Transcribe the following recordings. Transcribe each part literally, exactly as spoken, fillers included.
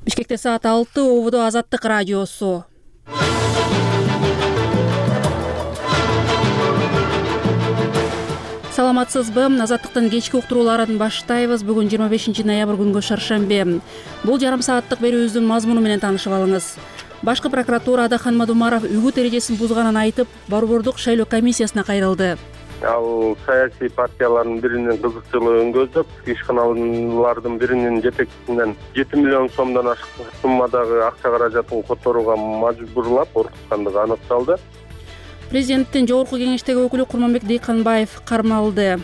Бишкекте саат алты, ободо Азаттык радиосу. Саламатсызбы? Азаттыктын кечки уктурууларын баштайбыз. Бүгүн жыйырма бешинчи ноябрь күнгө шаршембе. Бул жарым сааттык берүүбүздүн мазмуну менен таанышып алыңыз. Башкы прокуратура Адахан Мадумаров үгүт эрежесин бузганын айтып, Борбордук шайлоо комиссиясына кайрылды. Ал саясий партиялардын биринин кызыкчылыгын көздөп, ишканалардын биринин жетекчисинен жети миллион сомдон ашык суммадагы акча каражатын которууга мажбурлап коркуткандыгы аныкталды. Президенттин жогорку кеңештеги өкүлү Курманбек Дейканбаев кармалды.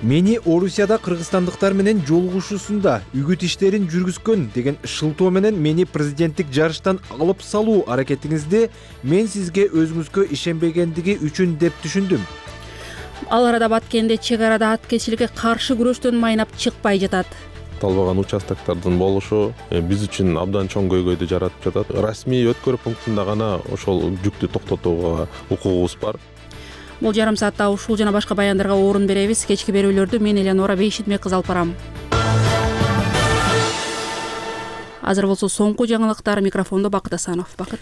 Мени Орусияда кыргызстандыктар менен жолугушуусунда үгүт иштерин жүргүзгөн деген шылтоо менен мени президенттик жарыштан алып салуу аракетиңизде мен сизге өзүңүзгө ишенбегендиги үчүн деп түшүндүм. Ал арада Баткенде чек арада аткезчиликке каршы күрөштөн майнап чыкпай жатат. Талбаган участоктордун болушу биз үчүн абдан чоң көйгөйдү жаратып жатат. Расмий өткөрүү пунктунда гана ошол жүктү токтотууга укугубуз бар. Бул жарым саатта ушул жана башка баяндарга орун беребиз. Кечки берүүлөрдү мен Элеонора Бейшитмек кызы алып барам. Азыр болсо соңку жаңылыктар. Микрофондо Бакыт Асанов. Бакыт.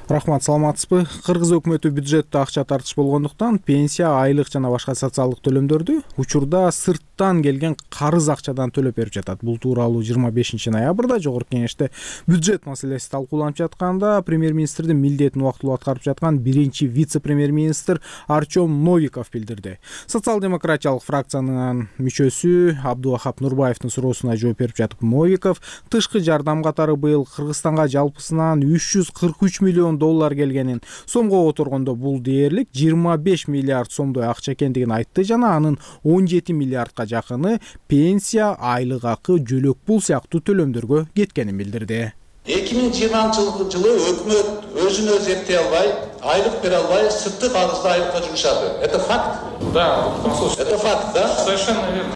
Рахмат, саламатсызбы? Кыргыз өкмөтү бюджетте акча тартыш болгондуктан пенсия, айлык жана башка социалдык төлөмдөрдү учурда сырттан келген карыз акчадан төлөп берип жатат. Бул тууралуу жыйырма бешинчи ноябрда жогорку кеңеште бюджет маселеси талкууланып жатканда премьер-министрдин милдетин убактылуу аткарып жаткан биринчи вице-премьер-министр Артем Новиков билдирди. Социал-демократиялык фракциянын мүчөсү Абдувахап Нурбаевдин суроосуна жооп берип жатып, Новиков тышкы жардам катары быйыл Кыргызстанга жалпысынан үч жүз кырк үч миллион доллар келгенин, сомго которгондо бул дээрлик жыйырма беш миллиард сомдой акча экендигин айтты жана анын он жети миллиардка жакыны пенсия, айлык акы, жөлөк пул сыяктуу төлөмдөргө кеткенин билдирди. эки миң жыйырманчы жылы өкмөт өзүн өзү эптей албай, айлык бере албай, сыртты карызды айлыкка жумшады. Это факт? Да, это факт, да? Совершенно верно.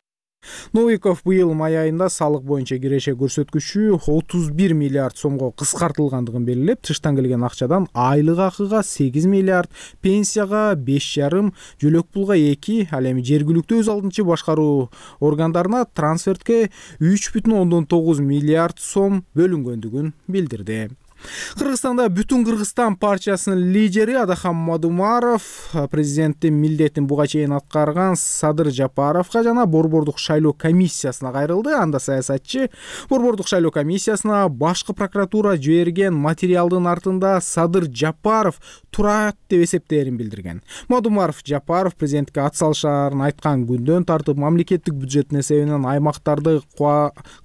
Новиков быйыл май айында салык боюнча киреше көрсөткүчү отуз бир миллиард сомго кыскартылгандыгын белгилеп, тыштан келген акчадан айлык акыга сегиз миллиард, пенсияга беш жарым, жөлөк пулга эки, ал эми жергиликтүү өз алдынчы башкаруу органдарына трансфертке үч бүтүн ондон тогуз миллиард сом бөлүнгөндүгүн билдирди. Кыргызстанда Бүтүн Кыргызстан партиясынын лидери Адахан Мадумаров президенттин милдетин буга чейин аткарган Садыр Жапаровго жана Борбордук шайлоо комиссиясына кайрылды. Анда саясатчы Борбордук шайлоо комиссиясына башкы прокуратура жиберген материалдын артында Садыр Жапаров турат деп эсептээрин билдирген. Мадумаров Жапаров президентке ат салышаарын айткан күндөн тартып мамлекеттик бюджеттин эсебинен аймактарды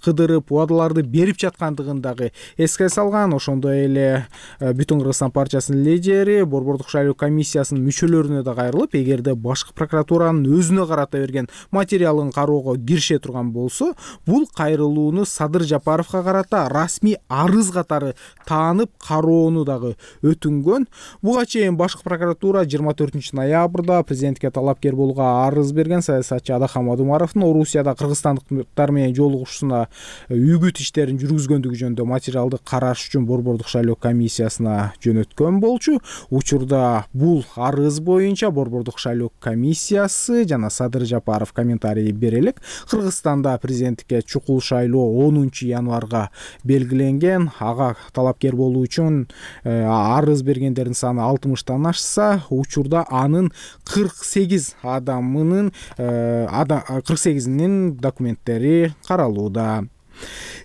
кыдырып, убадаларды берип жаткандыгын дагы эске салган. Ошондой эле Бүтүн Кыргызстан партиясынын лидери Борбордук шайлоо комиссиясынын мүчөлөрүнө да кайрылып, эгерде башкы прокуратуранын өзүнө карата берген материалын кароого кирише турган болсо, бул кайрылууну Садыр Жапаровго карата расмий арыз катары таанып кароону дагы өтүнгөн. Буга чейин башкы прокуратура жыйырма төртүнчү ноябрда президентке талапкер болууга арыз берген. Саясатчы Адахан Мадумаровдун Орусияда кыргызстандыктар менен жолугушуусуна үгүт иштерин жүргүзгөндүгү жөнүндө материалды караш үчүн Борбордук шайлоо комиссиясына жөнөткөн болчу. Учурда бул арыз боюнча Борбордук шайлоо комиссиясы жана Садыр Жапаров комментарий бере элек. Кыргызстанда президенттикке чукул шайлоо онунчу январга белгиленген. Ага талапкер болуу үчүн арыз бергендердин саны алтымыштан ашса, учурда анын кырк сегиз адамынын кырк сегизинин документтери каралууда.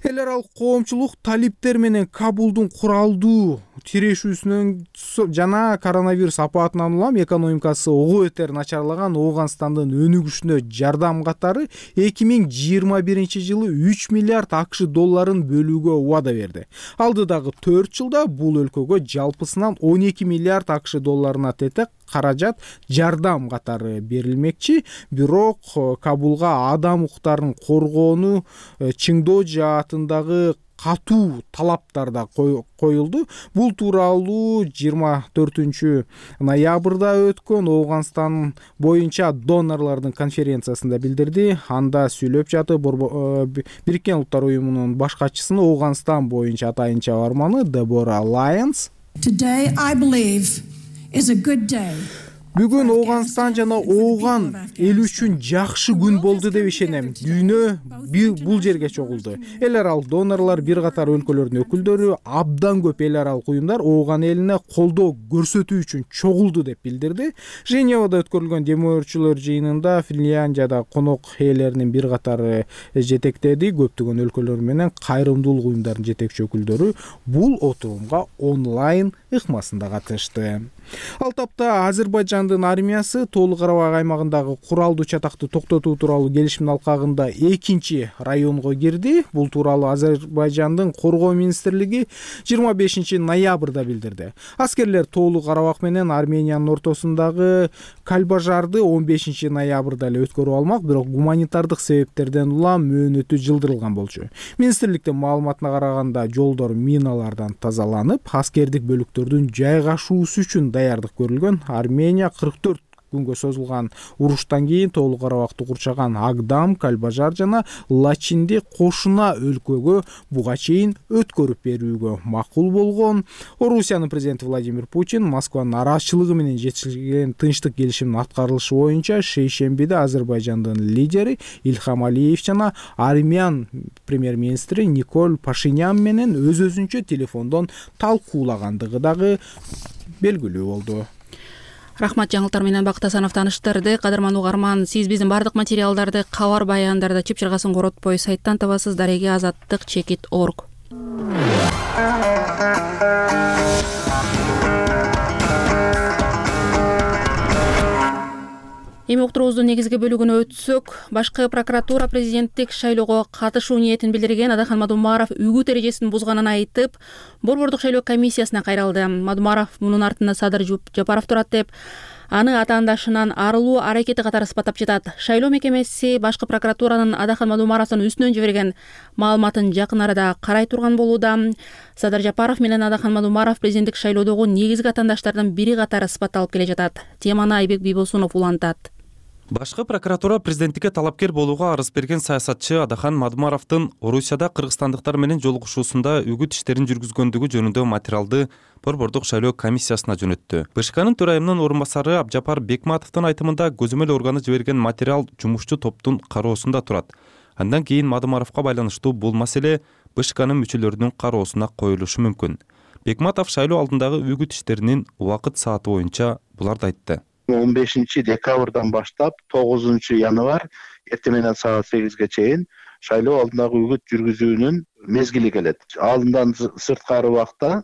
Эл аралык коомчулук талиптер менен Кабулдун куралдуу тирешүүсүнөн жана коронавирус апаатынан улам экономикасы ого бетер начарлаган Ооганстандын өнүгүшүнө жардам катары эки миң жыйырма биринчи жылы үч миллиард акш долларын бөлүүгө убада берди. Алдыдагы төрт жылда бул өлкөгө жалпысынан он эки миллиард акш долларына тете каражат жардам катары берилмекчи. Бирок Кабулга адам укуктарын коргоону чыңдоо жаатындагы катуу талаптар да коюлду. Бул тууралуу жыйырма төртүнчү ноябрда өткөн Ооганстан боюнча донорлордун конференциясында билдирди. Анда сүйлөп жатып Бириккен Улуттар уюмунун баш катчысынын Ооганстан боюнча атайын чабарманы Дебора Лайенс. Today I believe is a good day. Бүгүн Ооганстан жана Ооган эл үчүн жакшы күн болду деп ишенем. Дүйнө бул жерге чогулду. Эл аралык донорлор, бир катар өлкөлөрдүн өкүлдөрү, абдан көп эл аралык уюмдар Ооган элине колдоо көрсөтүү үчүн чогулду деп билдирди. Женевада өткөрүлгөн демөөрчүлөр жыйынында Финляндияда конок ээлеринин бир катары жетектеди. Көптөгөн өлкөлөр менен кайрымдуулук уюмдарынын жетекчи өкүлдөрү бул отурумга онлайн ыкмасында катышты. Ал тапта Азербайжандын армиясы Тоолу Карабак аймагындагы куралдуу чатакты токтотуу тууралуу келишимдин алкагында экинчи районго кирди. Бул тууралуу Азербайжандын коргоо министрлиги жыйырма бешинчи ноябрда билдирди. Аскерлер Тоолу Карабак менен Армениянын ортосундагы Кальбажарды он бешинчи ноябрда эле өткөрүп алмак, бирок гуманитардык себептерден улам мөөнөтү жылдырылган болчу. Министрликтин маалыматына караганда жолдор миналардан тазаланып, аскердик бөлүктөрдүн жайгашуусу үчүн даярдык көрүлгөн. Армения кырк төрт күнгө созулган уруштан кийин Тоолу Карабакты курчаган Агдам, Кальбажар жана Лачинди кошуна өлкөгө буга чейин өткөрүп берүүгө макул болгон. Орусиянын президенти Владимир Путин Москванын нараазычылыгы менен жетишилген тынчтык келишимдин аткарылышы боюнча шейшембиде Азербайжандын лидери Ильхам Алиев жана Армян премьер-министри Николь Пашинян менен өз-өзүнчө телефондон талкуулагандыгы дагы белгилүү болду. Рахмат, жаңылыктар менен Бакыт Асанов тааныштырды. Кадырман угарман, сиз биздин бардык материалдарды кабар баяндарды чып чыргасын коротпой сайттан табасыз. Дареги азаттык чекит точка орг. Эми уктуруубуздун негизги бөлүгүнө өтсөк, башкы прокуратура президенттик шайлоого катышуу ниетин билдирген Адахан Мадумаров үгүт эрежесин бузганын айтып, Борбордук шайлоо комиссиясына кайрылды. Мадумаров мунун артында Садыр Жапаров турат деп, аны атаандашынан арылуу аракети катары сыпаттап жатат. Шайлоо мекемеси башкы прокуратуранын Адахан Мадумаровдун үстүнөн жиберген маалыматын жакын арада карай турган болууда. Садыр Жапаров менен Адахан Мадумаров президенттик шайлоодогу негизги атаандаштардын бири катары сыпатталып келе жатат. Теманы Айбек Бийбосунов улантат. Башкы прокуратура президенттикке талапкер болууга арыз берген саясатчы Адахан Мадумаровдун Орусияда кыргызстандыктар менен жолугушуусунда үгүт иштерин жүргүзгөндүгү жөнүндө материалды Борбордук шайлоо комиссиясына жөнөттү. БШКнын төрайымынын орун басары Абжапар Бекматовдун айтымында көзөмөл органы жиберген материал жумушчу топтун кароосунда турат. Андан кийин Мадумаровго байланыштуу бул маселе БШКнын мүчөлөрүнүн кароосуна коюлушу мүмкүн. Бекматов шайлоо алдындагы үгүт иштеринин убакыт сааты боюнча буларды айтты. он бешинчи декабрдан баштап тогузунчу январь эртең менен саат сегизге чейин шайлоо алдындагы үгүт жүргүзүүнүн мезгили келет. Алдындан сырткары убакта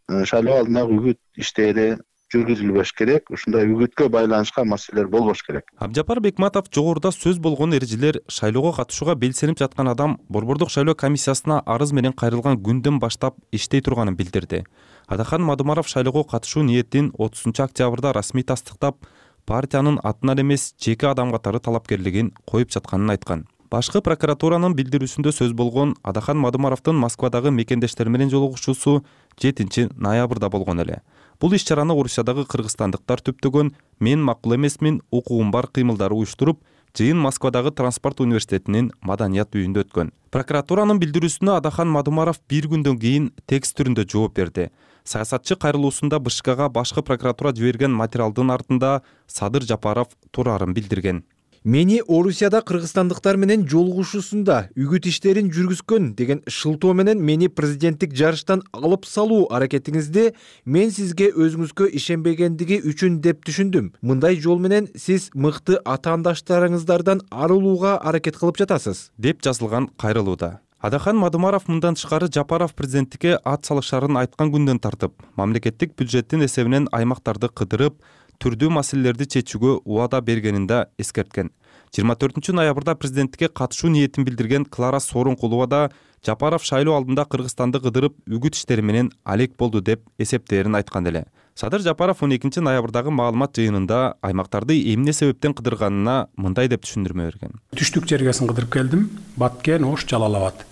шайлоо алдындагы үгүт иштери жүргүзүлбөш керек. Ушундай үгүткө байланышкан маселелер болбош керек. Абжапар Бекматов жогоруда сөз болгон эрежелер шайлоого катышууга белсенип жаткан адам Борбордук шайлоо комиссиясына арыз менен кайрылган күндөн баштап иштей турганын билдирди. Адахан Мадумаров шайлоого катышуу ниетин отузунчу октябрда расмий тастыктап, партиянын атынан эмес жеке адам катары талапкерлигин коюп жатканын айткан. Башкы прокуратуранын билдирүүсүндө сөз болгон Адахан Мадумаровдун Москвадагы мекендештер менен жолугушуусу жетинчи ноябрда болгон эле. Бул иш-чараны Орусиядагы кыргызстандыктар түптөгөн мен макул эмесмин, укугум бар кыймылдары уюштуруп, жыйын Москвадагы Транспорт университетинин маданият үйүндө өткөн. Прокуратуранын билдирүүсүнө Адахан Мадумаров бир күндөн кийин текст түрүндө жооп берди. Саясатчы кайрылуусунда БШКга башкы прокуратура жиберген материалдын артында Садыр Жапаров турарын билдирген. Мени Орусияда кыргызстандыктар менен жолугушуусунда үгүт иштерин жүргүзгөн деген шылтоо менен мени президенттик жарыштан алып салуу аракетиңизде мен сизге өзүңүзгө ишенбегендиги үчүн деп түшүндүм. Мындай жол менен сиз мыкты атаандаштарыңыздардан арылууга аракет кылып жатасыз, деп жазылган кайрылууда. Адахан Мадумаров мындан тышкары Жапаров президенттикке ат салышарын айткан күндөн тартып, мамлекеттик бюджеттин эсебинен аймактарды кыдырып, түрдүү маселелерди чечүүгө убада бергенин да эскерткен. жыйырма төртүнчү ноябрда президенттикке катышуу ниетин билдирген Клара Сооронкулова да Жапаров шайлоо алдында Кыргызстанды кыдырып үгүт иштери менен алек болду деп эсептээрин айткан эле. Садыр Жапаров он экинчи ноябрдагы маалымат жыйынында аймактарды эмне себептен кыдырганына мындай деп түшүндүрмө берген. Түштүк жергесин кыдырып келдим. Баткен, Ош, Жалал Абад.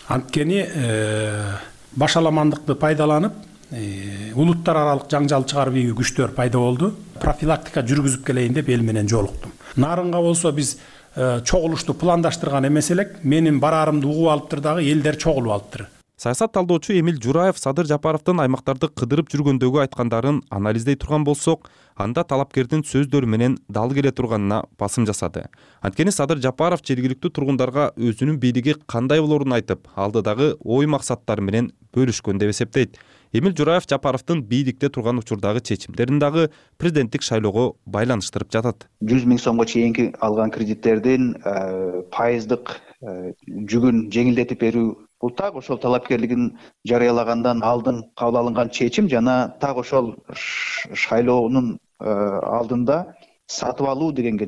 Анткени башаламандыкты пайдаланып, улуттар аралык жаңжал чыгарып ийүү күчтөр пайда болду. Профилактика жүргүзүп келейин деп эл менен жолуктум. Нарынга болсо биз чогулушту пландаштырган эмес элек. Менин бараарымды угуп алыптыр дагы элдер чогулуп алыптыр. Саясат талдоочу Эмил Жураев Садыр Жапаровдун аймактарды кыдырып жүргөндөгү айткандарын анализдей турган болсок, анда талапкердин сөздөрү менен дал келе турганына басым жасады. Анткени Садыр Жапаров жергиликтүү тургундарга өзүнүн бийлиги кандай болорун айтып, алдыдагы ой максаттары менен бөлүшкөн деп эсептейт. Эмил Жураев Жапаровдун бийликте турган учурдагы чечимдерин дагы президенттик шайлоого байланыштырып жатат. жүз миң сомго чейинки алган кредиттердин пайыздык жүгүн жеңилдетип берүү, бул так ошол талапкерлигин жарыялагандан алдын кабыл алынган чечим жана так ошол шайлоонун алдында сатып алуу дегенге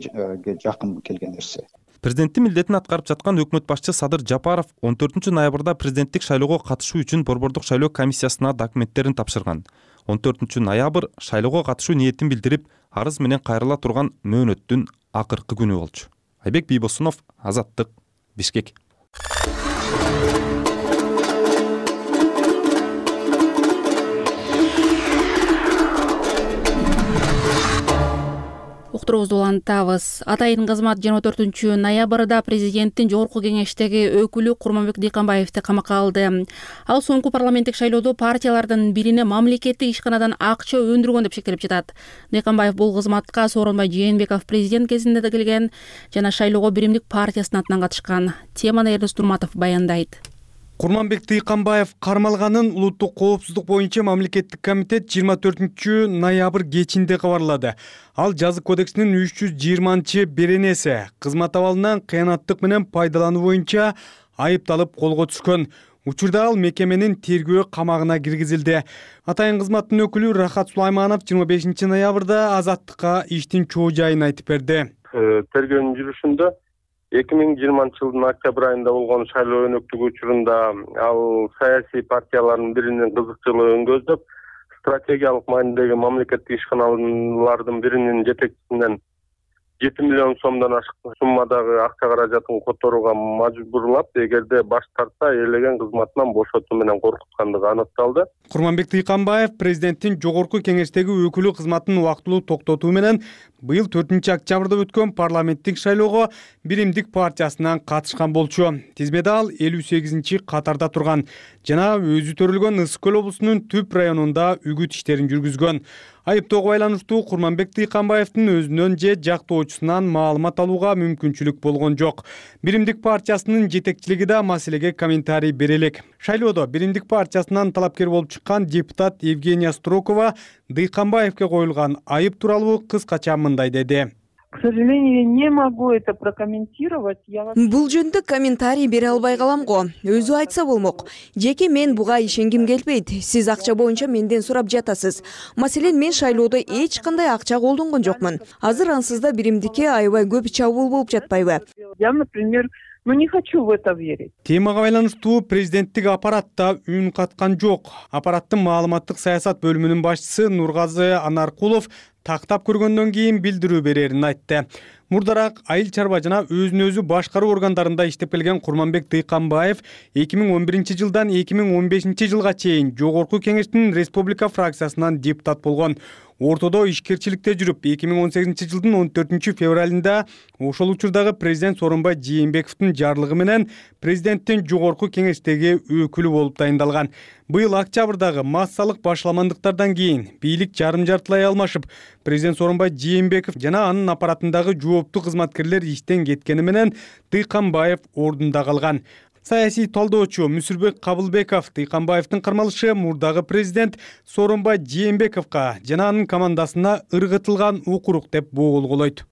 жакын келген нерсе. Президенттин милдетин аткарып жаткан өкмөт башчы Садыр Жапаров он төртүнчү ноябрда президенттик шайлоого катышуу үчүн Борбордук шайлоо комиссиясына документтерин тапшырган. он төртүнчү ноябрь шайлоого катышуу ниетин билдирип, арыз менен кайрыла турган мөөнөттүн акыркы күнү болчу. Айбек Бийбосунов, Азаттык, Бишкек. Уктуруубузду улантабыз. Атайын кызмат жыйырма төртүнчү ноябрда президенттин жогорку кеңештеги өкүлү Курманбек Дыйканбаевди камакка алды. Ал соңку парламенттик шайлоодо партиялардын бирине мамлекеттик ишканадан акча өндүргөн деп шектелип жатат. Дыйканбаев бул кызматка Сооронбай Жээнбеков президент кезинде да келген жана шайлоого Биримдик партиясынын атынан катышкан. Теманы Эрдос Турматов баяндайт. Курманбек Дыйканбаев кармалганын улуттук коопсуздук боюнча мамлекеттик комитет жыйырма төртүнчү ноябрь кечинде кабарлады. Ал жазык кодексинин үч жүз жыйырманчы беренеси кызмат абалынан кыянаттык менен пайдалануу боюнча айыпталып колго түшкөн. Учурда ал мекеменин тергөө камагына киргизилди. Атайын кызматтын өкүлү Рахат Сулайманов жыйырма бешинчи ноябрда Азаттыкка иштин чоо жайын айтып берди. Тергөөнүн жүрүшүндө эки миң жыйырманчы жылдын октябрь айында болгон шайлоо өнөктүгү учурунда ал саясий партиялардын биринин кызыкчылыгын көздөп, стратегиялык маанидеги мамлекеттик ишканалардын биринин жетекчисинен жети миллион сомдон ашык суммадагы акча каражатын которууга мажбурлап, эгерде баш тартса ээлеген кызматынан бошотуу менен коркуткандыгы аныкталды. Курманбек Дыйканбаев президенттин жогорку кеңештеги өкүлү кызматын убактылуу токтотуу менен быйыл төртүнчү октябрда өткөн парламенттик шайлоого Биримдик партиясынан катышкан болчу. Тизмеде ал элүү сегизинчи катарда турган жана өзү төрөлгөн Ысык көл облусунун Түп районунда үгүт иштерин жүргүзгөн. Айыптоого байланыштуу Курманбек Дыйканбаевдин өзүнөн же жактоочусунан маалымат алууга мүмкүнчүлүк болгон жок. Биримдик партиясынын жетекчилиги да маселеге комментарий бере элек. Шайлоодо Биримдик партиясынан талапкер болуп чыккан депутат Евгения Строкова Дыйканбаевге коюлган айып тууралуу кыскача мындай деди. К сожалению, не могу это прокомментировать. Бул жөнүндө комментарий бере албай калам го. Өзү айтса болмок. Жеке мен буга ишенгим келбейт. Сиз акча боюнча менден сурап жатасыз. Маселен, мен шайлоодо эч кандай акча колдонгон жокмун. Азыр ансызда Биримдикке аябай көп чабуул болуп жатпайбы? Я, например, но не хочу в это верить. Темага байланыштуу президенттик аппаратта үн каткан жок. Аппараттын маалыматтык саясат бөлүмүнүн башчысы Нургазы Анаркулов тактап көргөндөн кийин билдирүү берерин айтты. Мурдараак айыл чарба жана өзүн өзү башкаруу органдарында иштеп келген Курманбек Дыйканбаев эки миң он биринчи жылдан эки миң он бешинчи жылга чейин жогорку кеңештин республика фракциясынан депутат болгон. Ортодо ишкерчиликте жүрүп, эки миң он сегизинчи жылдын он төртүнчү февралында ошол учурдагы президент Сооронбай Жээнбековдун жарлыгы менен президенттин жогорку кеңештеги өкүлү болуп дайындалган. Быйыл октябрдагы массалык башаламандыктардан кийин бийлик жарым-жартылай алмашып, президент Сооронбай Жээнбеков жана анын аппаратындагы жооптуу кызматкерлер иштен кеткени менен Дыйканбаев ордунда калган. Саясий талдоочу Мүсүрбек Кабылбеков Дыйканбаевдин кармалышы мурдагы президент Сооронбай Жээнбековго жана анын командасына ыргытылган укурук деп боголголойт.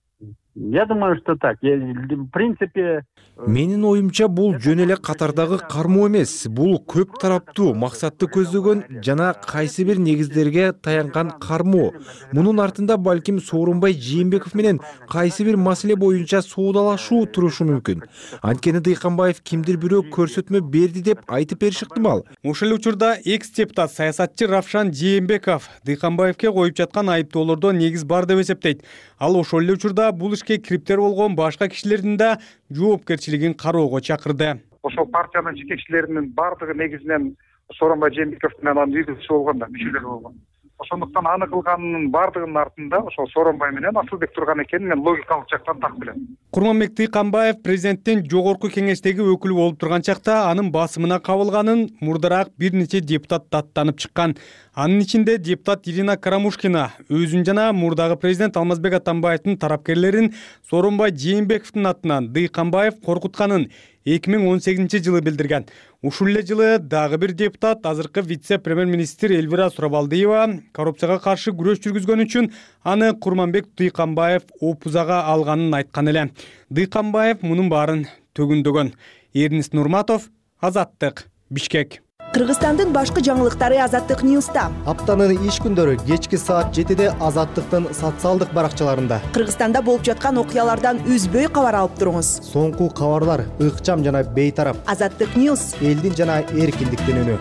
Я думаю, что так. В принципе, менин оюмча бул жөн эле катардагы кармоо эмес, бул көп тараптуу максатты көздөгөн жана кайсы бир негиздерге таянган кармоо. Мунун артында балким Сооронбай Жээнбеков менен кайсы бир маселе боюнча соодалашуу турушу мүмкүн. Анткени Дыйканбаев кимдир бирөө көрсөтмө берди деп айтып бериши ыктымал. Ошол эле учурда экс-депутат саясатчы Равшан Жээнбеков Дыйканбаевге коюп жаткан айыптоолордо негиз бар деп эсептейт. Ал ошол эле учурда бул ишке кириптер болгон башка кишилердин да жоопкерчилигин кароого чакырды. Ошол партиянын жетекчилеринин бардыгы негизинен Сооронбай Жээнбековдун анан үйдүчү болгон да мүчөлөр болгон. ошондуктан аны кылганынын баардыгынын артында ошол Сооронбай менен Асылбек турган экенин мен логикалык жактан так билем. Курманбек Дыйканбаев президенттин жогорку кеңештеги өкүлү болуп турган чакта анын басымына кабылганын мурдараак бир нече депутат даттанып чыккан. Анын ичинде депутат Ирина Карамушкина өзүн жана мурдагы президент Алмазбек Атамбаевдин тарапкерлерин Сооронбай Жээнбековдун атынан Дыйканбаев коркутканын эки миң он сегизинчи жылы билдирген. Ушул эле жылы дагы бир депутат азыркы вице-премьер-министр Элвира Сурабалдиева коррупцияга каршы күрөш жүргүзгөн үчүн аны Курманбек Дыйканбаев опузага алганын айткан эле. Дыйканбаев мунун баарын төгүндөгөн. Эрнис Нурматов, Азаттык, Бишкек. Кыргызстандын башкы жаңылыктары Азаттык Ньюста. Аптанын иш күндөрү кечки саат жетиде Азаттыктын социалдык баракчаларында. Кыргызстанда болуп жаткан окуялардан үзбөй кабар алып туруңуз. Соңку кабарлар ыкчам жана бейтарап. Азаттык Ньюс. Элдин жана эркиндиктин үнү.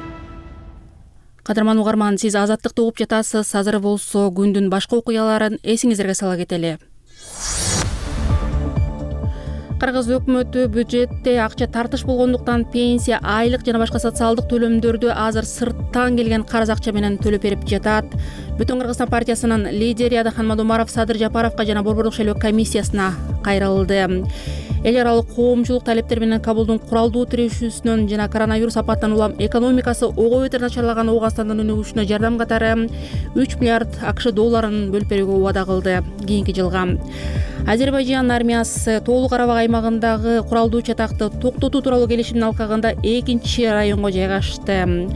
Кадырман угарман, сиз Азаттыкты угуп жатасыз. Азыр болсо күндүн башка окуяларын эсиңиздерге сала кетели. Кыргыз өкмөтү бюджетте акча тартыш болгондуктан пенсия, айлык жана башка социалдык төлөмдөрдү азыр сырттан келген карыз акча менен төлөп берип жатат. Бүтүн Кыргызстан партиясынын лидери Адахан Мадумаров Садыр Жапаровго жана Борбордук шайлоо комиссиясына кайрылды. Эл аралык коомчулук талептери менен Кабулдун куралдуу тирешүүсүнөн жана коронавирус апатынан улам экономикасы ого бетер начарлаган Ооганстандын өнүгүшүнө жардам катары үч миллиард АКШ долларын бөлүп берүүгө убада кылды кийинки жылга. Азербайжан армиясы Тоолу Карабак аймагындагы куралдуу чатакты токтотуу тууралуу келишимдин алкагында экинчи районго жайгашты.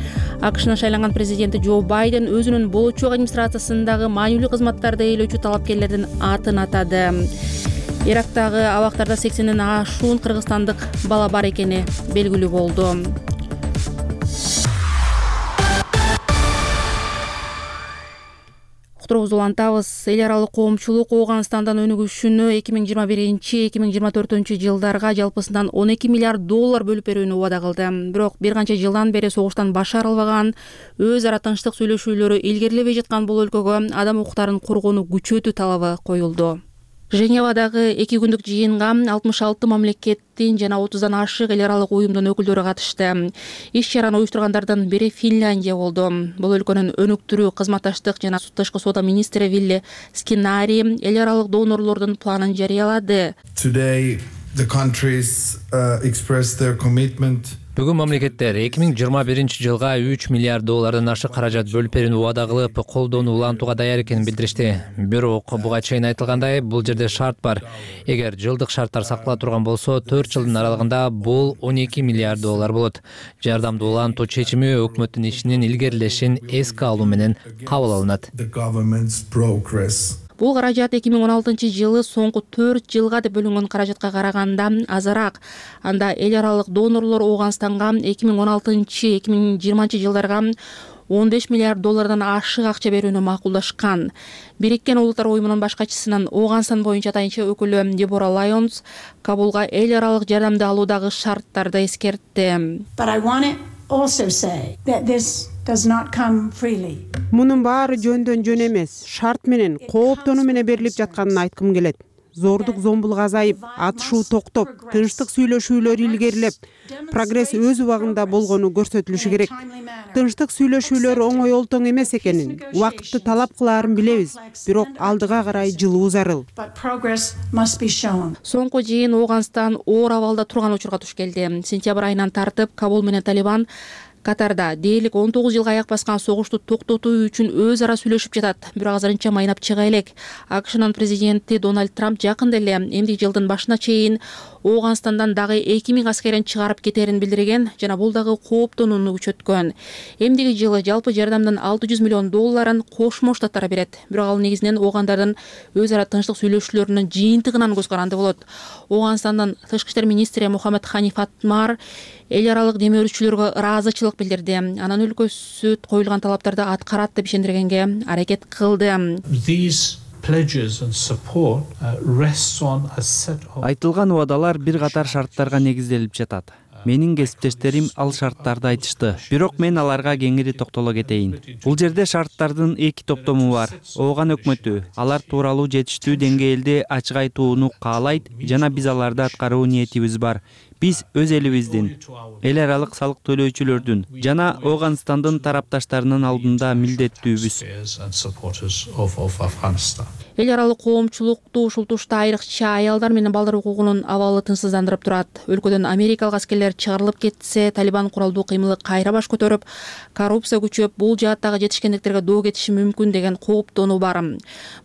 АКШнын шайланган президенти Джо Байден өзүнүн болочок администрациясындагы маанилүү кызматтарды ээлөөчү талапкерлердин атын атады. Ирактагы абактарда сексенден ашуун кыргызстандык бала бар экени белгилүү болду. Уктуруубузду улантабыз. Эл аралык коомчулук Ооганстандан өнүгүшүнө эки миң жыйырма биринчи эки миң жыйырма төртүнчү жылдарга жалпысынан он эки миллиард доллар бөлүп берүүнү убада кылды. Бирок бир канча жылдан бери согуштан баш арылбаган, өз ара тынчтык сүйлөшүүлөрү илгерилебей жаткан бул өлкөгө адам укуктарын коргоону күчөтүү талабы коюлду. Женевадагы эки күндүк жыйынга алтымыш алты мамлекеттин жана отуздан ашык эл аралык уюмдун өкүлдөрү катышты. Иш чараны уюштургандардын бири Финляндия болду. Бул өлкөнүн өнүктүрүү, кызматташтык жана тышкы соода министри Вилли Скинари эл аралык донорлордун планын жарыялады. Today the countries uh, expressed their commitment. Бүгүн мамлекеттер эки миң жыйырма биринчи жылга үч миллиард доллардан ашык каражат бөлүп берүүнү убада кылып, колдоону улантууга даяр экенин билдиришти. Бирок буга чейин айтылгандай, бул жерде шарт бар. Эгер жылдык шарттар сактала турган болсо, төрт жылдын аралыгында бул он эки миллиард доллар болот. Жардамды улантуу чечими өкмөттүн ишинин илгерилешин эске алуу менен кабыл алынат. Бул каражат эки миң он алтынчы жылы соңку төрт жылга деп бөлүнгөн каражатка караганда азыраак. Анда эл аралык донорлор Ооганстанга эки миң он алтынчы эки миң жыйырманчы жылдарга он беш миллиард доллардан ашык акча берүүнү макулдашкан. Бириккен Улуттар уюмунун башкачысынын Ооганстан боюнча атайынча өкүлү Дебора Лайонс Кабулга эл аралык жардамды алуудагы шарттарды эскертти. Мунун баары жөндөн жөн эмес, шарт менен, кооптонуу менен берилип жатканын айткым келет. Зордук зомбулук азайып, атышуу токтоп, тынчтык сүйлөшүүлөр илгерилеп, прогресс өз убагында болгону көрсөтүлүшү керек. Тынчтык сүйлөшүүлөр оңой олтоң эмес экенин, убакытты талап кылаарын билебиз, бирок алдыга карай жылуу зарыл. Соңку жыйын Ооганстан оор абалда турган учурга туш келди. Сентябрь айынан тартып Кабул менен Талибан Катарда дээрлик он тогуз жылга аяк баскан согушту токтотуу үчүн өз ара сүйлөшүп жатат. Бирок азырынча майнап чыга элек. АКШнын президенти Дональд Трамп жакында эле эмдиги жылдын башына чейин Ооганстандан дагы эки миң аскерин чыгарып кетерин билдирген жана бул дагы кооптонууну күчөткөн. Эмдиги жылы жалпы жардамдын алты жүз миллион долларын Кошмо Штаттар берет. Бирок ал негизинен оогандардын өз ара тынчтык сүйлөшүүлөрүнүн жыйынтыгынан көз каранды болот. Ооганстандын тышкы иштер министри Мухаммед Ханиф Атмар эл аралык дем өрүүчүлөргө ыраазычылык билдирди. Анан өлкөсү коюлган талаптарды аткарат деп ишендиргенге аракет кылды. Айтылган убадалар бир катар шарттарга негизделип жатат. Менин кесиптештерим ал шарттарды айтышты. Бирок мен аларга кеңири токтоло кетейин. Бул жерде шарттардын эки топтому бар. Ооган өкмөтү алар тууралуу жетиштүү деңгээлде ачык айтууну каалайт жана биз аларды аткаруу ниетибиз бар. Биз өз элибиздин, эл аралык салык төлөөчүлөрдүн жана Ооганстандын тарапташтарынын алдында милдеттүүбүз. Эл аралык коомчулукту ушул тушта айрыкча аялдар менен балдар укугунун абалы тынчсыздандырып турат. Өлкөдөн Америкалык аскерлер чыгарылып кетсе, Талибан куралдуу кыймылы кайра баш көтөрүп, коррупция күчөп, бул жааттагы жетишкендиктерге доо кетиши мүмкүн деген кооптонуу бар.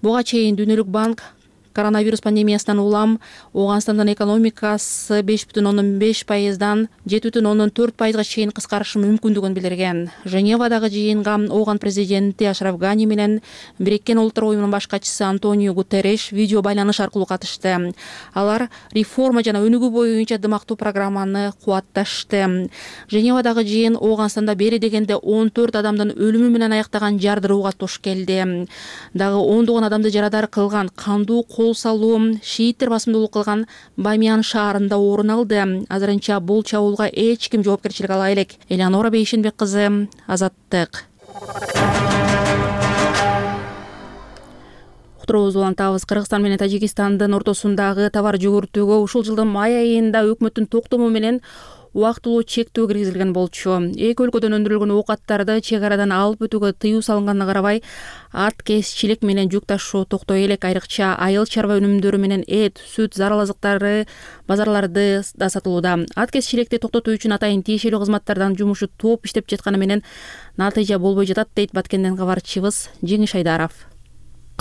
Буга чейин Дүйнөлүк банк коронавирус пандемиясынан улам Ооганстандын экономикасы беш бүтүн ондон беш пайыздан жети бүтүн ондон төрт пайызга чейин кыскарышы мүмкүндүгүн билдирген. Женевадагы жыйынга Ооган президенти Ашраф Гани менен Бириккен Улуттар уюмунун баш катчысы Антонио Гутерриш видео байланыш аркылуу катышты. Алар реформа жана өнүгүү боюнча дымактуу программаны кубатташты. Женевадагы жыйын Ооганстанда бери дегенде он төрт адамдын өлүмү менен аяктаган жардырууга туш келди. Дагы ондогон адамды жарадар кылган кандуу кол салуу шииттер басымдуулук кылган Бамиян шаарында орун алды. Азырынча бул чабуулга эч ким жоопкерчилик ала элек. Элеонора Бейшенбек кызы, Азаттык. Уктуруубузду улантабыз. Кыргызстан менен Тажикстандын ортосундагы товар жүгүртүүгө ушул жылдын май айында өкмөттүн токтому менен убактылуу чектөө киргизилген болчу. Эки өлкөдөн өндүрүлгөн оокаттарды чек арадан алып өтүүгө тыюу салынганына карабай, ат кесчилик менен жүк ташуу токтой элек. Айрыкча айыл чарба өнүмдөрү менен эт, сүт, зарыл азыктары базарларды да сатылууда. Ат кесчиликти токтотуу үчүн атайын тиешелүү кызматтардан жумушу топ иштеп жатканы менен натыйжа болбой жатат, дейт Баткенден кабарчыбыз Жеңиш Айдаров.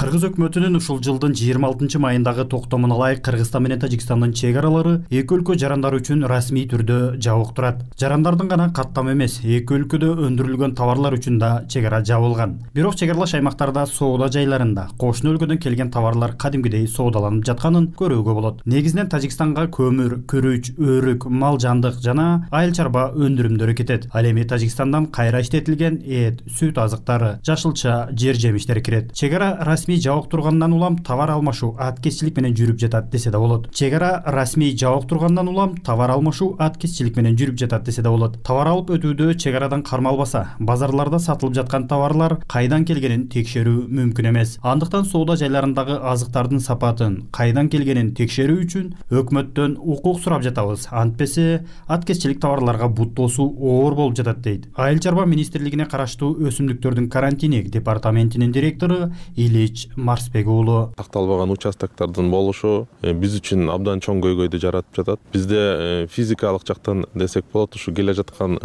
Кыргыз өкмөтүнүн ушул жылдын жыйырма алтынчы майындагы токтомуна ылайык Кыргызстан менен Тажикстандын чек аралары эки өлкө жарандары үчүн расмий түрдө жабык турат. Жарандардын гана каттамы эмес, эки өлкөдө өндүрүлгөн товарлар үчүн да чек ара жабылган. Бирок чек аралаш аймактарда соода жайларында кошуна өлкөдөн келген товарлар кадимгидей соодаланып жатканын көрүүгө болот. Негизинен Тажикстанга көмүр, күрүч, өрүк, мал жандык жана айыл чарба өндүрүмдөрү кетет. Ал эми Тажикстандан кайра иштетилген эт, сүт азыктары, жашылча, жер жемиштер кирет. Чек ара расмий жабык тургандан улам товар алмашуу аткезчилик менен жүрүп жатат десе да болот. Чек ара расмий жабык тургандан улам товар алмашуу аткезчилик менен жүрүп жатат десе да болот. Товар алып өтүүдө чек арадан кармалбаса, базарларда сатылып жаткан товарлар кайдан келгенин текшерүү мүмкүн эмес. Андыктан соода жайларындагы азыктардын сапатын, кайдан келгенин текшерүү үчүн өкмөттөн укук сурап жатабыз. Антпесе аткезчилик товарларга буттоосу оор болуп жатат, дейт Айыл чарба министрлигине караштуу өсүмдүктөрдүн карантиник департаментинин директору Илич Марсбек уулу. Такталбаган участоктордун болушу биз үчүн абдан чоң көйгөйдү жаратып жатат. Бизде физикалык жактан десек болот, ушу келе жаткан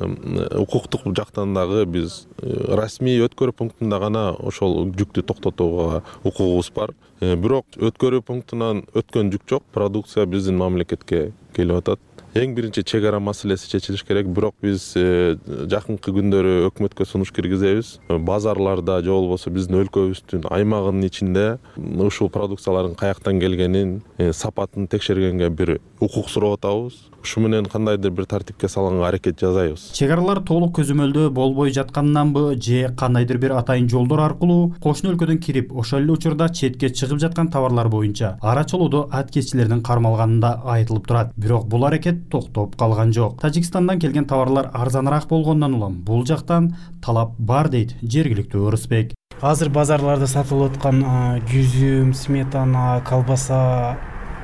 укуктук жактан дагы биз расмий өткөрүү пунктунда гана ошол жүктү токтотууга укугубуз бар. Бирок өткөрүү пунктунан өткөн жүк жок, продукция биздин мамлекетке келип атат. Эң биринчи чек ара маселеси чечилиш керек, бирок биз жакынкы күндөрү өкмөткө сунуш киргизебиз. Базарларда же болбосо биздин өлкөбүздүн аймагынын ичинде ушул продукциялардын каяктан келгенин, сапатын текшергенге бир укук сурап атабыз. Ушу менен кандайдыр бир тартипке салганга аракет жасайбыз. Чек аралар толук көзөмөлдөө болбой жатканынанбы же кандайдыр бир атайын жолдор аркылуу кошуна өлкөдөн кирип, ошол эле учурда четке чыгып жаткан товарлар боюнча ара чолуудо аткезчилердин кармалганында айтылып турат. Бирок бул аракет токтоп калган жок. Тажикстандан келген товарлар арзаныраак болгондон улам бул жактан талап бар, дейт жергиликтүү Ырысбек. Азыр базарларда сатылып аткан жүзүм, сметана, колбаса,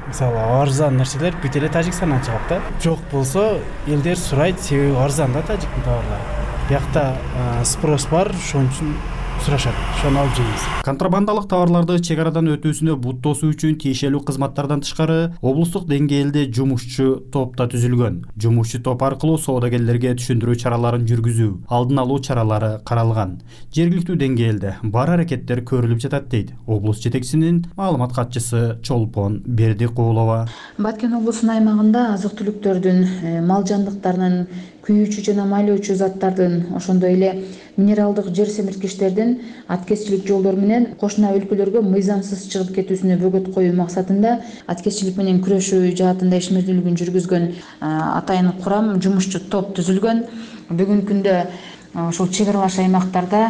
мисалы арзан нерселер бүт эле Тажикстандан чыгат да. Жок болсо элдер сурайт, себеби арзан да тажиктин товарлары. Биякта спрос бар, ошон үчүн сурашат, ошону алып жейбиз. Контрабандалык товарларды чек арадан өтүүсүнө буттоосу үчүн тиешелүү кызматтардан тышкары облустук деңгээлде жумушчу топ да түзүлгөн. Жумушчу топ аркылуу соодагерлерге түшүндүрүү чараларын жүргүзүү, алдын алуу чаралары каралган. Жергиликтүү деңгээлде бар аракеттер көрүлүп жатат, дейт облус жетекчисинин маалымат катчысы Чолпон Бердикулова. Баткен облусунун аймагында азык-түлүктөрдүн, мал жандыктарынын, күйүүчү жана майлоочу заттардын, ошондой эле минералдык жер семирткичтердин аткезчилик жолдору менен кошуна өлкөлөргө мыйзамсыз чыгып кетүүсүнө бөгөт коюу максатында аткезчилик менен күрөшүү жаатында ишмердүүлүгүн жүргүзгөн атайын курам, жумушчу топ түзүлгөн. Бүгүнкү күндө ошол чек аралаш аймактарда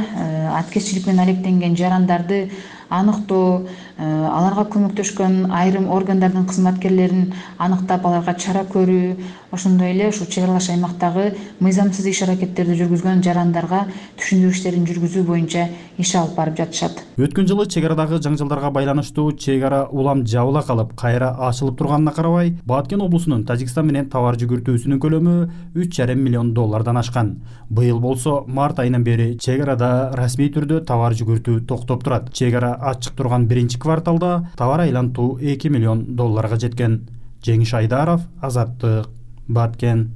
аткезчилик менен алектенген жарандарды аныктоо, аларга көмөктөшкөн айрым органдардын кызматкерлерин аныктап аларга чара көрүү, ошондой эле ушул чек аралаш аймактагы мыйзамсыз иш аракеттерди жүргүзгөн жарандарга түшүндүрүү иштерин жүргүзүү боюнча иш алып барып жатышат. Өткөн жылы чек арадагы жаңжалдарга байланыштуу чек ара улам жабыла калып, кайра ачылып турганына карабай, Баткен облусунун Тажикстан менен товар жүгүртүүсүнүн көлөмү үч жарым миллион доллардан ашкан. Быйыл болсо март айынан бери чек арада расмий түрдө товар жүгүртүү токтоп турат. Чек ара ачык турган биринчи кварталда товар айлантуу эки миллион долларга жеткен. Жеңиш Айдаров, Азаттык, Баткен.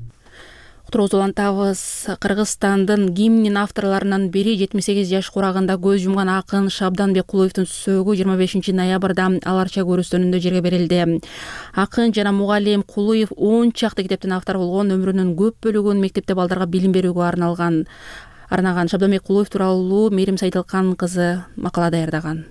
Уктуруубузду улантабыз. Кыргызстандын гимнин авторлорунун бири жетимиш сегиз жаш курагында көз жумган акын Шабданбек Кулуевдин сөөгү жыйырма бешинчи ноябрда Ал Арча көрүстөнүндө жерге берилди. Акын жана мугалим Кулуев он чакты китептин автору болгон, өмүрүнүн көп бөлүгүн мектепте балдарга билим берүүгө арналган. Арнаган Шабданбек Кулуев тууралуу Мээрим Сайдылкан кызы макала даярдаган.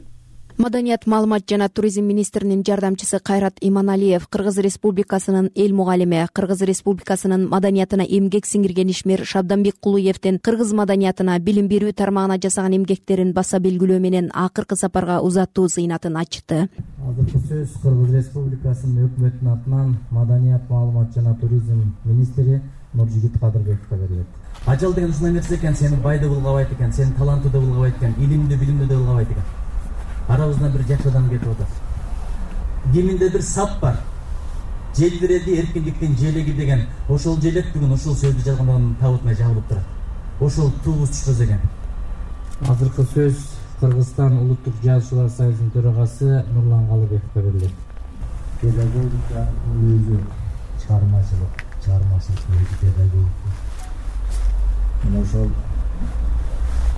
Маданият, маалымат жана туризм министринин жардамчысы Кайрат Иманалиев, Кыргыз Республикасынын эл мугалими, Кыргыз Республикасынын маданиятына эмгек сиңирген ишмер Шабданбек Кулуевдин кыргыз маданиятына билим берүү тармагына жасаган эмгектерин баса белгилөө менен акыркы сапарга узаттуу зыйнатын ачты. Азыркы сөз Кыргыз Республикасынын өкмөтүнүн атынан маданият, маалымат жана туризм министри Нуржигит Кадырбековго берилет. Ажал деген ушундай нерсе экен, сени бай да булгабайт экен, сени таланттуу да булгабайт экен, илимдүү, билимдүү да булгабайт экен. Арабыздан бир жакшы адам кетип атат. Киминде бир сап бар. Желбиреди эркиндиктин желеги деген. Ошол желек бүгүн ошол сөздү жазгандан табытына жабылып турат. Ошол тугуз түшпөс экен. Азыркы сөз Кыргызстан Улуттук Жазуучулар союзунун төрагасы Нурлан Калыбековго берилет. Педагогика өзү чыгармачылык, чыгармачылык өзү педагогика. Мына ошол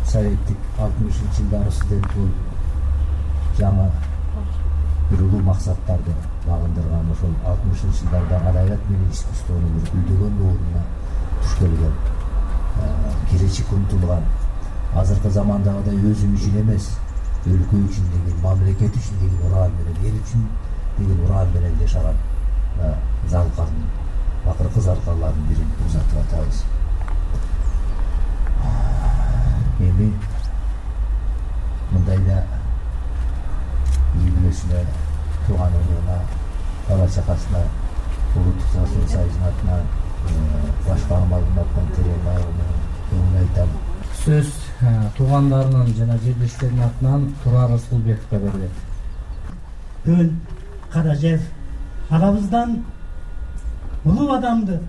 советтик алтымышынчы жылдары студент болуп жаңы бир улуу максаттарды багындырган, ошол алтымышынчы жылдарда адабият менен искусствонун бир гүлдөгөн ордуна туш келген, келечекке умтулган, азыркы замандагыдай өзүм үчүн эмес, өлкө үчүн деген, мамлекет үчүн деген уран менен, эл үчүн деген уран менен жашаган залкардын, акыркы залкарлардын бирин узатып атабыз. Эми мындайда үй бүлөсүнө, тууган элине, бала чакасына, Улуттук Жазуучулар союзунун атынан, башка маалыматтан терең көңүл айтам. Сөз туугандарынын жана жерлештеринин атынан Турар Расулбековго берилет. Көн Каражев агабыздан улуу адамды,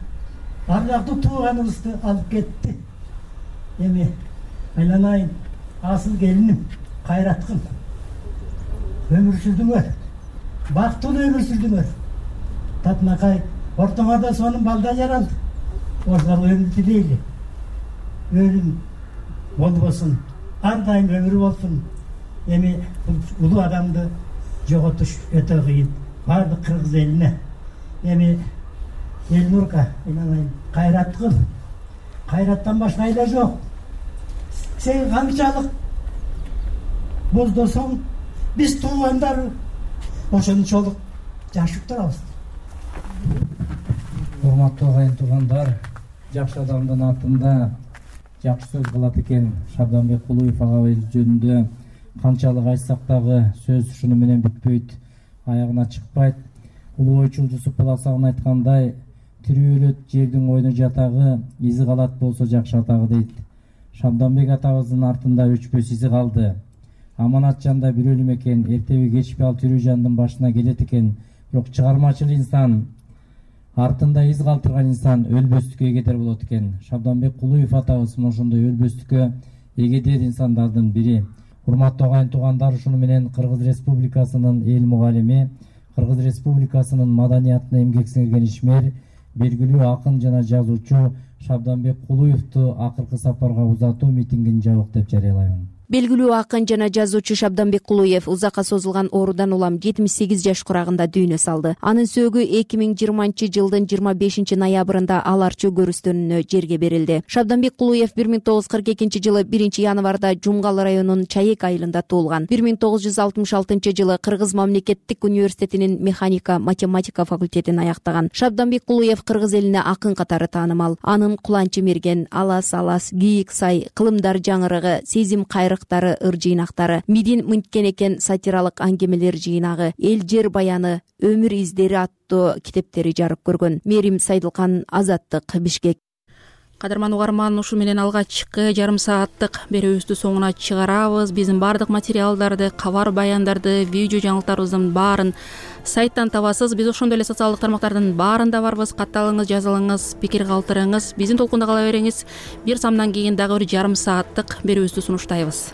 ардактуу тууганыбызды алып кетти. Эми айланайын, асыл келиним, кайраткым. Өмүр сүрдүңөр, бактылуу өмүр сүрдүңөр. Татынакай, ортоңордо сонун балда жаралды. Ошол өмүр тилейли. Өлүм болбосун, ар дайым өмүр болсун. Эми улуу адамды жоготуш өтө кыйын. Бардык кыргыз элине. Эми Элнурка, айналайын, кайраткым. Кайраттан башка айла жок. Сен канчалык боздосоң, биз туугандар ошончолук жашып турабыз. Урматтуу агайын туугандар, жакшы адамдын атында жакшы сөз кылат экен. Шабданбек Кулуев агабыз жөнүндө канчалык айтсак дагы сөз ушуну менен бүтпөйт, аягына чыкпайт. Улуу ойчул Жусуп Баласагын айткандай, тирүү өлөт жердин ойну жатагы, изи калат болсо жакшы атагы дейт. Шабданбек атабыздын артында өчпөс изи калды. Аманат жанда бир өлүм экен, эртеби кечпи ал тирүү жандын башына келет экен. Бирок чыгармачыл инсан, артында из калтырган инсан өлбөстүккө эгедер болот экен. Шабданбек Кулуев атабыз ошондой өлбөстүккө эгедер инсандардын бири. Урматтуу агайын туугандар, ушуну менен Кыргыз Республикасынын эл мугалими, Кыргыз Республикасынын маданиятына эмгек сиңирген ишмер, белгилүү акын жана жазуучу Шабданбек Кулуевду акыркы сапарга узатуу митингин жабык деп жарыялайм. Белгилүү акын жана жазуучу Шабданбек Кулуев узакка созулган оорудан улам жетимиш сегиз жаш курагында дүйнө салды. Анын сөөгү эки миң жыйырманчы жылдын жыйырма бешинчи ноябрында Ал Арча көрүстөнүнө жерге берилди. Шабданбек Кулуев бир миң тогуз жүз кырк экинчи жылы биринчи январда Жумгал районунун Чаек айылында туулган. бир миң тогуз жүз алтымыш алтынчы жылы Кыргыз мамлекеттик университетинин механика математика факультетин аяктаган. Шабданбек Кулуев кыргыз элине акын катары таанымал. Анын Куланчы мерген, Алас алас, Кийик сай, Кылымдар жаңырыгы, Сезим кайры тарыхтары, ыр жыйнактары, мидин мынткен экен сатиралык аңгемелер жыйнагы, эл жер баяны, өмүр издери аттуу китептери жарык көргөн. Мерим Сайдылкан, Азаттык, Бишкек. Кадырман угарман, ушу менен алгачкы жарым сааттык берүүбүздү соңуна чыгарабыз. Биздин баардык материалдарды, кабар баяндарды, видео жаңылыктарыбыздын баарын сайттан табасыз. Биз ошондой эле социалдык тармактардын баарында барбыз. Катталыңыз, жазылыңыз, пикир калтырыңыз. Биздин толкунда кала бериңиз. Бир самдан кийин дагы бир жарым сааттык берүүбүздү сунуштайбыз.